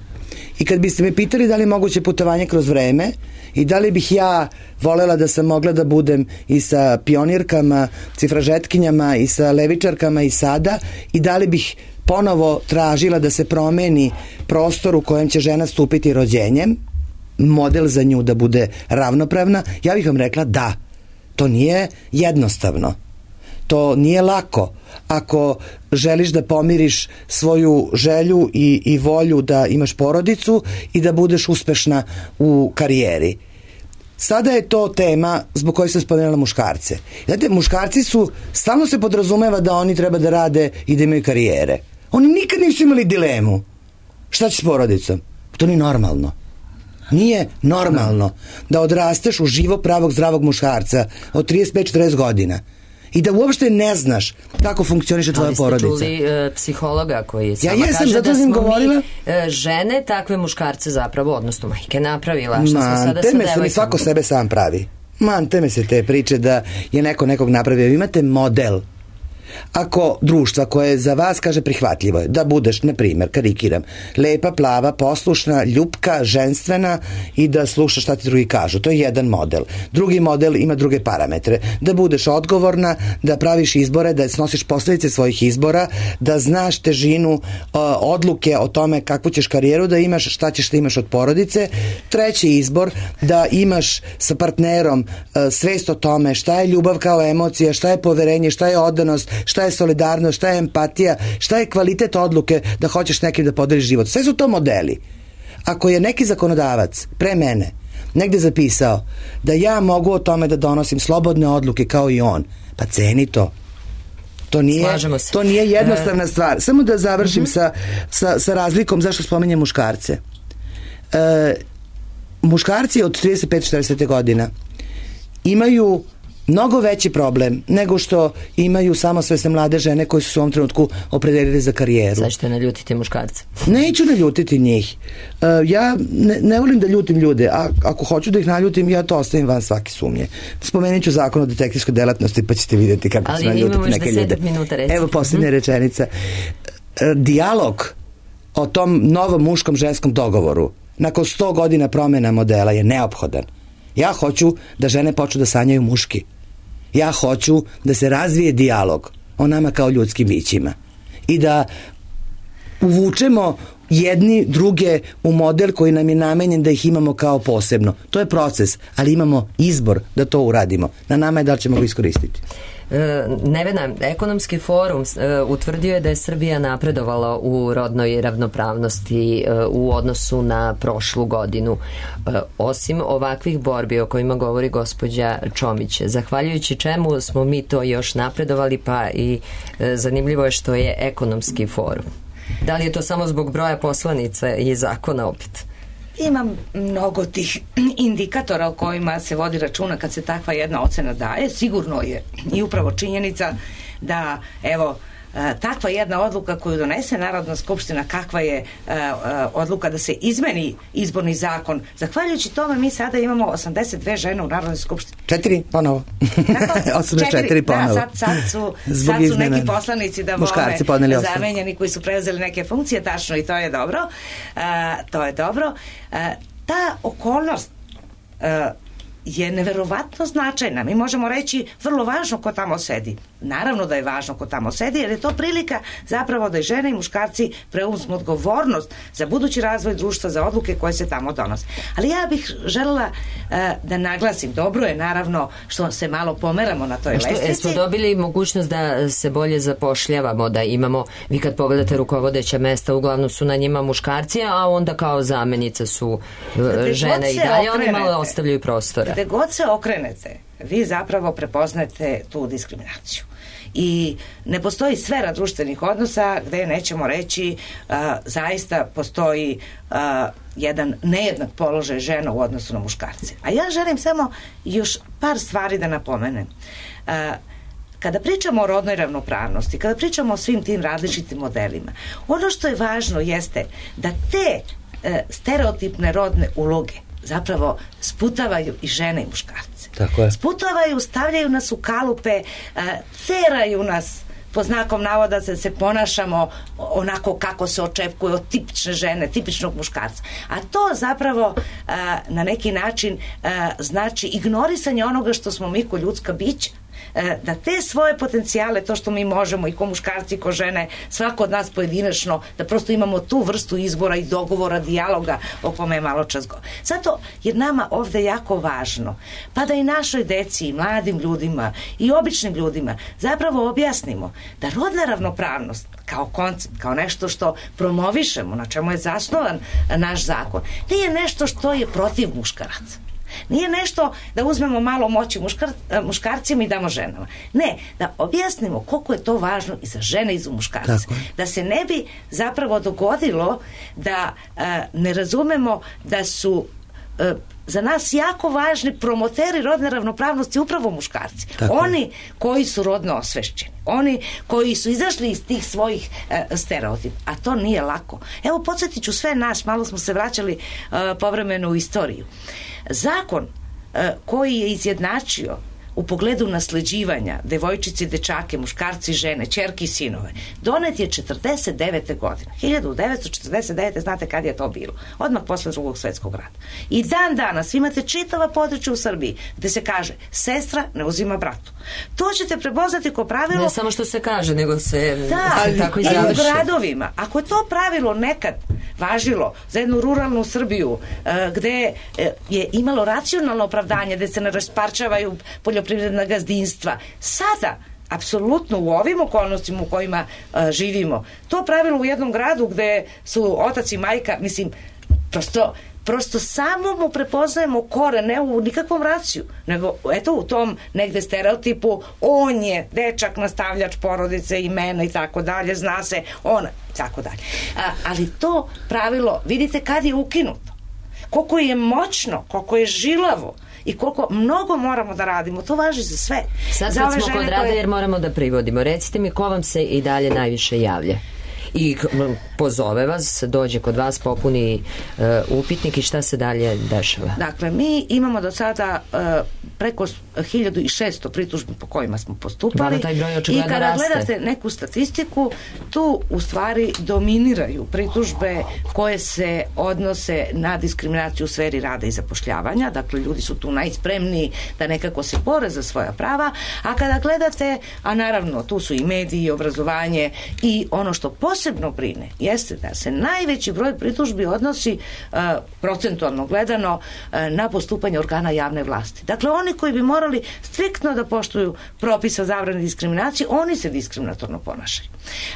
i kad biste me pitali da li je moguće putovanje kroz vreme i da li bih ja volela da sam mogla da budem i sa pionirkama, cifražetkinjama i sa levičarkama i sada, i da li bih ponovo tražila da se promeni prostor u kojem će žena stupiti rođenjem, model za nju da bude ravnopravna, ja bih vam rekla da. To nije jednostavno. To nije lako. Ako želiš da pomiriš svoju želju i, i volju da imaš porodicu i da budeš uspešna u karijeri. Sada je to tema zbog koje sam spomenula muškarce. Znate, muškarci su, stalno se podrazumeva da oni treba da rade i da imaju karijere. Oni nikad nisu imali dilemu. Šta će s porodicom? To nije normalno. Nije normalno da odrasteš u živo pravog zdravog muškarca od trideset pet do četrdeset godina i da uopšte ne znaš kako funkcioniše tvoja porodica. Ali ste čuli uh, psihologa koji sama ja jesam, kaže da smo govorila. mi uh, žene takve muškarce zapravo, odnosno majke napravila. Šta Man, smo sada teme sa se mi svako sebe sam pravi. Man, teme se te priče da je neko nekog napravio. Vi imate model. Ako društva koje za vas kaže prihvatljivo je da budeš, na primjer, karikiram, lepa, plava, poslušna, ljupka, ženstvena i da slušaš šta ti drugi kažu. To je jedan model. Drugi model ima druge parametre. Da budeš odgovorna, da praviš izbore, da snosiš posledice svojih izbora, da znaš težinu uh, odluke o tome kakvu ćeš karijeru da imaš, šta ćeš da imaš od porodice. Treći izbor, da imaš sa partnerom uh, svest o tome šta je ljubav kao emocija, šta je poverenje, šta je odanost, šta je solidarnost, šta je empatija, šta je kvalitet odluke da hoćeš nekim da podeliš život. Sve su to modeli. Ako je neki zakonodavac pre mene negde zapisao da ja mogu o tome da donosim slobodne odluke kao i on, pa ceni to. To nije, to nije jednostavna stvar. Samo da završim uh-huh. sa, sa, sa razlikom zašto spominjem muškarce. E, muškarci od trideset pet do četrdeset godina imaju mnogo veći problem nego što imaju samosvesne mlade žene koje su se u ovom trenutku opredelili za karijeru. Sad ćete naljutiti muškarce. Neću naljutiti njih. Uh, ja ne, ne volim da ljutim ljude, a ako hoću da ih naljutim, ja to ostavim van svake sumnje. Spomenut ću zakon o detektivskoj delatnosti, pa ćete vidjeti kako ću naljutiti neke ljude. Minuta, Evo posljednja hmm. rečenica. Uh, dijalog o tom novom muškom ženskom dogovoru nakon sto godina promjena modela je neophodan. Ja hoću da žene počnu da sanjaju muški. Ja hoću da se razvije dijalog o nama kao ljudskim bićima i da uvučemo jedni druge u model koji nam je namenjen da ih imamo kao posebno. To je proces, ali imamo izbor da to uradimo. Na nama je da li ćemo ga iskoristiti. Nevena, ekonomski forum utvrdio je da je Srbija napredovala u rodnoj ravnopravnosti u odnosu na prošlu godinu. Osim ovakvih borbi o kojima govori gospođa Čomić, zahvaljujući čemu smo mi to još napredovali, pa i zanimljivo je što je ekonomski forum. Da li je to samo zbog broja poslanica i zakona opet? Ima mnogo tih indikatora o kojima se vodi računa kad se takva jedna ocena daje. Sigurno je i upravo činjenica da, evo, takva jedna odluka koju donese Narodna skupština, kakva je uh, odluka da se izmeni izborni zakon. Zahvaljujući tome mi sada imamo osamdeset dve žene u Narodnoj skupštini. Četiri ponovo. osamdeset četiri ponovo. Da, sad, sad su, sad su neki poslanici da vole zamenjeni koji su preuzeli neke funkcije, tačno, i to je dobro. Uh, to je dobro. Uh, ta okolnost uh, je neverovatno značajna. Mi možemo reći vrlo važno ko tamo sedi. Naravno da je važno ko tamo sedi, jer je to prilika zapravo da i žene i muškarci preuzmu odgovornost za budući razvoj društva, za odluke koje se tamo donose. Ali ja bih želela da naglasim, dobro je naravno što se malo pomeramo na toj što, lestvici. Smo dobili mogućnost da se bolje zapošljavamo, da imamo, vi kad pogledate rukovodeća mesta, uglavnom su na njima muškarci, a onda kao zamenica su Gde žene i dalje, oni malo ostavljaju prostora. Gde god se okrenete, vi zapravo prepoznajete tu diskriminaciju. I ne postoji sfera društvenih odnosa gde nećemo reći uh, zaista postoji uh, jedan nejednak položaj žena u odnosu na muškarce. A ja želim samo još par stvari da napomenem. Uh, Kada pričamo o rodnoj ravnopravnosti, kada pričamo o svim tim različitim modelima, ono što je važno jeste da te e, stereotipne rodne uloge zapravo sputavaju i žene i muškarce. Tako je. Sputavaju, stavljaju nas u kalupe, e, ceraju nas po znakom navoda da se ponašamo onako kako se očekuje od tipične žene, tipičnog muškarca. A to zapravo e, na neki način e, znači ignorisanje onoga što smo mi ko ljudska bića, da te svoje potencijale, to što mi možemo i ko muškarci i ko žene, svako od nas pojedinačno, da prosto imamo tu vrstu izbora i dogovora, dijaloga o kome je malo čas go. Zato je nama ovde jako važno, pa da i našoj deci, i mladim ljudima i običnim ljudima zapravo objasnimo da rodna ravnopravnost kao koncept, kao nešto što promovišemo, na čemu je zasnovan naš zakon, nije nešto što je protiv muškaraca. Nije nešto da uzmemo malo moći muškar, muškarcima i damo ženama. Ne, da objasnimo koliko je to važno i za žene i za muškarce. Da se ne bi zapravo dogodilo da uh, ne razumemo da su uh, za nas jako važni promoteri rodne ravnopravnosti upravo muškarci. Tako. Oni koji su rodno osvešćeni. Oni koji su izašli iz tih svojih uh, stereotipa. A to nije lako. Evo, podsjetit ću sve nas, malo smo se vraćali uh, povremeno u istoriju. Zakon uh, koji je izjednačio u pogledu nasleđivanja devojčice, dečake, muškarci, žene, ćerke i sinove, donet je četrdeset devete godine. hiljadu devetsto četrdeset devete. znate kad je to bilo? Odmah posle Drugog svjetskog rata. I dan danas imate čitava područja u Srbiji gde se kaže sestra ne uzima bratu. To ćete prepoznati kao pravilo. Ne samo što se kaže, nego se da, se tako i završi. završi. U gradovima. Ako je to pravilo nekad važilo za jednu ruralnu Srbiju uh, gde uh, je imalo racionalno opravdanje, gde se ne rasparčavaju poljoprivredna gazdinstva, sada apsolutno u ovim okolnostima u kojima uh, živimo, to pravilo u jednom gradu gde su otac i majka, mislim, prosto prosto samo mu prepoznajemo kore, ne u nikakvom raciju, nego eto u tom negde stereotipu, on je dečak, nastavljač porodice, imena i tako dalje, zna se, ona, tako dalje. A, ali to pravilo, vidite kad je ukinuto, koliko je moćno, koliko je žilavo i koliko mnogo moramo da radimo, to važi za sve. Sad za kad smo kod rada, koje... jer moramo da privodimo, recite mi ko vam se i dalje najviše javlja? I pozove vas, dođe kod vas, popuni uh, upitnik i šta se dalje dešava? Dakle, mi imamo do sada uh, preko hiljadu šesto pritužbi po kojima smo postupali i kada raste. Gledate neku statistiku, tu u stvari dominiraju pritužbe koje se odnose na diskriminaciju u sferi rada i zapošljavanja, dakle ljudi su tu najspremniji da nekako se bore za svoja prava, a kada gledate, a naravno tu su i mediji, i obrazovanje i ono što posebno brine jeste da se najveći broj pritužbi odnosi uh, procentualno gledano uh, na postupanje organa javne vlasti. Dakle, oni koji bi morali striktno da poštuju propisa zabrane diskriminacije, oni se diskriminatorno ponašaju.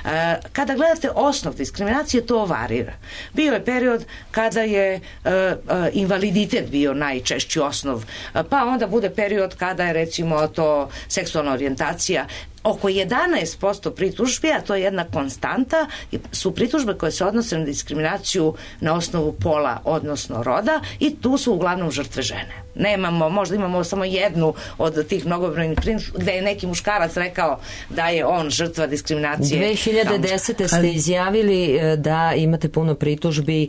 Uh, kada gledate osnov diskriminacije, to varira. Bio je period kada je uh, uh, invaliditet bio najčešći osnov, uh, pa onda bude period kada je recimo to seksualna orijentacija. Oko jedanaest posto pritužbi, a to je jedna konstanta, su pritužbe koje se odnose na diskriminaciju na osnovu pola, odnosno roda, i tu su uglavnom žrtve žene. Nemamo, možda imamo samo jednu od tih mnogobrojnih pritužbi gde je neki muškarac rekao da je on žrtva diskriminacije. dve hiljade desete. ste izjavili da imate puno pritužbi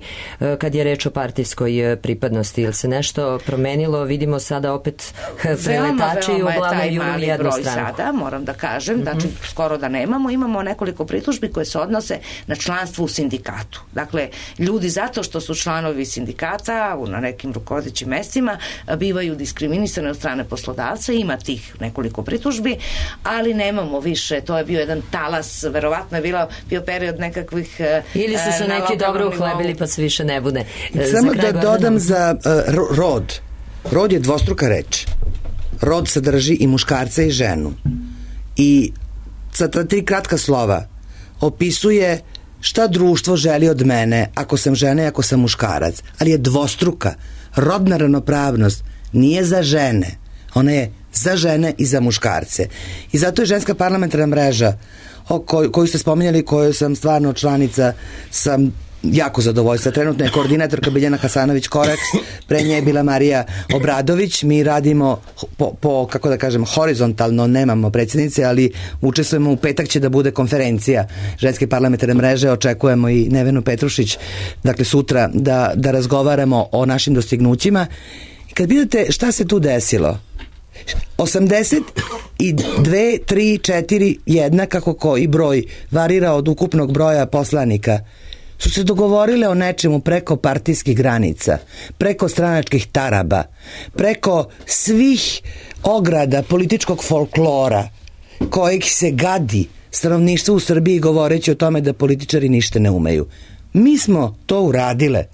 kad je reč o partijskoj pripadnosti. Ili se nešto promenilo? Vidimo sada opet preletači uglavnom juri jednu stranu. Sada, moram da kažem, znači mm-hmm. skoro da nemamo, imamo nekoliko pritužbi koje se odnose na članstvo u sindikatu. Dakle, ljudi zato što su članovi sindikata na nekim rukovodećim mestima bivaju diskriminisani od strane poslodavca, ima tih nekoliko pritužbi, ali nemamo više, to je bio jedan talas, verovatno je bilo, bio period nekakvih ili su se neki dobro uhlebili pa se više ne bude. Samo da dodam za uh, rod. Rod je dvostruka reč. Rod sadrži i muškarca i ženu. I sa ta tri kratka slova opisuje šta društvo želi od mene ako sam žena i ako sam muškarac. Ali je dvostruka. Rodna ravnopravnost nije za žene. Ona je za žene i za muškarce. I zato je ženska parlamentarna mreža o koj, koju ste spominjali, koju sam stvarno članica, sam jako zadovoljstva. Trenutno je koordinatorka Biljana Hasanović-Korać, pre nje je bila Marija Obradović. Mi radimo po, po, kako da kažem, horizontalno, nemamo predsjednice, ali učestvujemo. U petak će da bude konferencija ženske parlamentarne mreže, očekujemo i Nevenu Petrušić, dakle sutra, da, da razgovaramo o našim dostignućima. I kad vidite šta se tu desilo, osamdeset dve, tri, četiri, jedna, kako koji broj varira od ukupnog broja poslanika, su se dogovorile o nečemu preko partijskih granica, preko stranačkih taraba, preko svih ograda političkog folklora kojeg se gadi stanovništvo u Srbiji govoreći o tome da političari ništa ne umeju. Mi smo to uradile.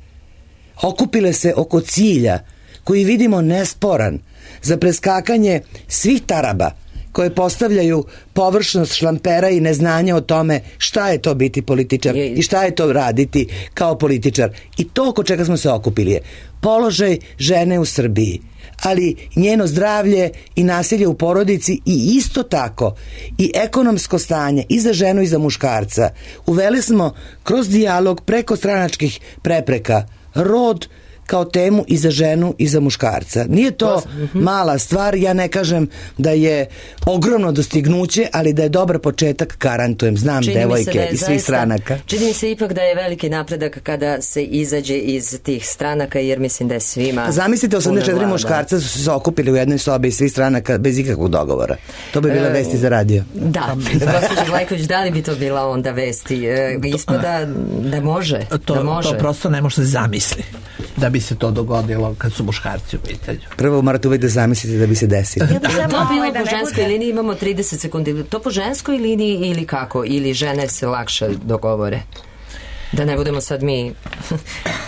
Okupile se oko cilja koji vidimo nesporan za preskakanje svih taraba koje postavljaju površnost šlampera i neznanja o tome šta je to biti političar i šta je to raditi kao političar. I to oko čega smo se okupili je položaj žene u Srbiji, ali njeno zdravlje i nasilje u porodici i isto tako i ekonomsko stanje i za ženu i za muškarca. Uveli smo kroz dijalog preko stranačkih prepreka rod kao temu i za ženu i za muškarca. Nije to mala stvar, ja ne kažem da je ogromno dostignuće, ali da je dobar početak, garantujem, znam čini devojke iz svih stranaka. Čini mi se ipak da je veliki napredak kada se izađe iz tih stranaka, jer mislim da je svima... Zamislite, osamdeset četiri muškarca su se okupili u jednoj sobi iz svih stranaka bez ikakvog dogovora. To bi bila e, vesti za radio. Da, gospođa Vlajković, da li bi to bila onda vesti? E, ispada da može. To, da može. To prosto ne može se zamisli da bi se to dogodilo kad su muškarci u pitanju. Prvo morate uvijek da zamislite da bi se desilo. Ja da to bilo po ženskoj liniji, imamo trideset sekundi. To po ženskoj liniji ili kako? Ili žene se lakše dogovore? Da ne budemo sad mi...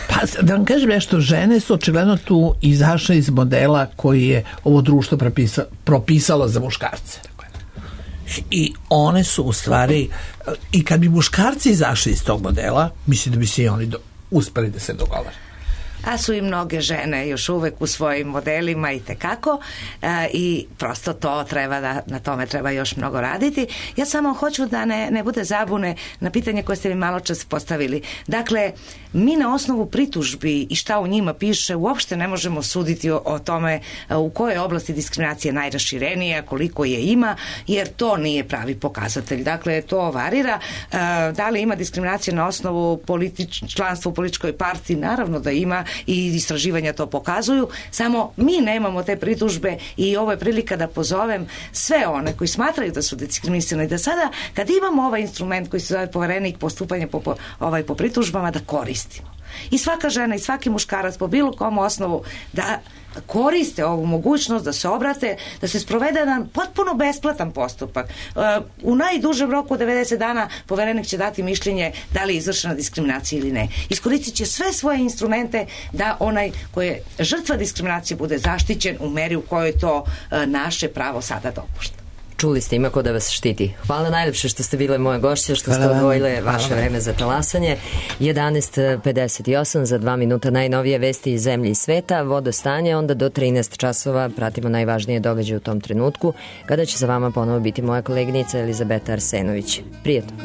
Pa da vam kažem nešto, žene su očigledno tu izašle iz modela koji je ovo društvo propisa, propisalo za muškarce. I one su u stvari, i kad bi muškarci izašli iz tog modela, mislim da bi se i oni do, uspeli da se dogovore. A su i mnoge žene još uvek u svojim modelima i tekako e, i prosto to treba da, na tome treba još mnogo raditi. Ja samo hoću da ne, ne bude zabune na pitanje koje ste mi malo čas postavili. Dakle, mi na osnovu pritužbi i šta u njima piše uopšte ne možemo suditi o, o tome u kojoj oblasti diskriminacije najraširenija, koliko je ima, jer to nije pravi pokazatelj. Dakle, to varira. E, da li ima diskriminacije na osnovu politič, članstva u političkoj partiji? Naravno da ima, i istraživanja to pokazuju, samo mi nemamo te pritužbe i ovo je prilika da pozovem sve one koji smatraju da su diskriminisani, da sada kad imamo ovaj instrument koji se zove poverenik postupanja po, po, ovaj, po pritužbama, da koristimo. I svaka žena i svaki muškarac po bilo kom osnovu da koriste ovu mogućnost da se obrate, da se sprovede jedan potpuno besplatan postupak. U najdužem roku devedeset dana poverenik će dati mišljenje da li je izvršena diskriminacija ili ne. Iskoristit će sve svoje instrumente da onaj koji je žrtva diskriminacije bude zaštićen u meri u kojoj to naše pravo sada dopušta. Čuli ste, ima ko da vas štiti. Hvala najlepše što ste bile moje gošće, što ste odvojile vaše vreme za talasanje. jedanaest pedeset osam, za dva minuta najnovije vesti iz zemlje i sveta, vodostanje, onda do trinaest časova pratimo najvažnije događaje u tom trenutku, kada će za vama ponovo biti moja koleginica Elizabeta Arsenović. Prijetno.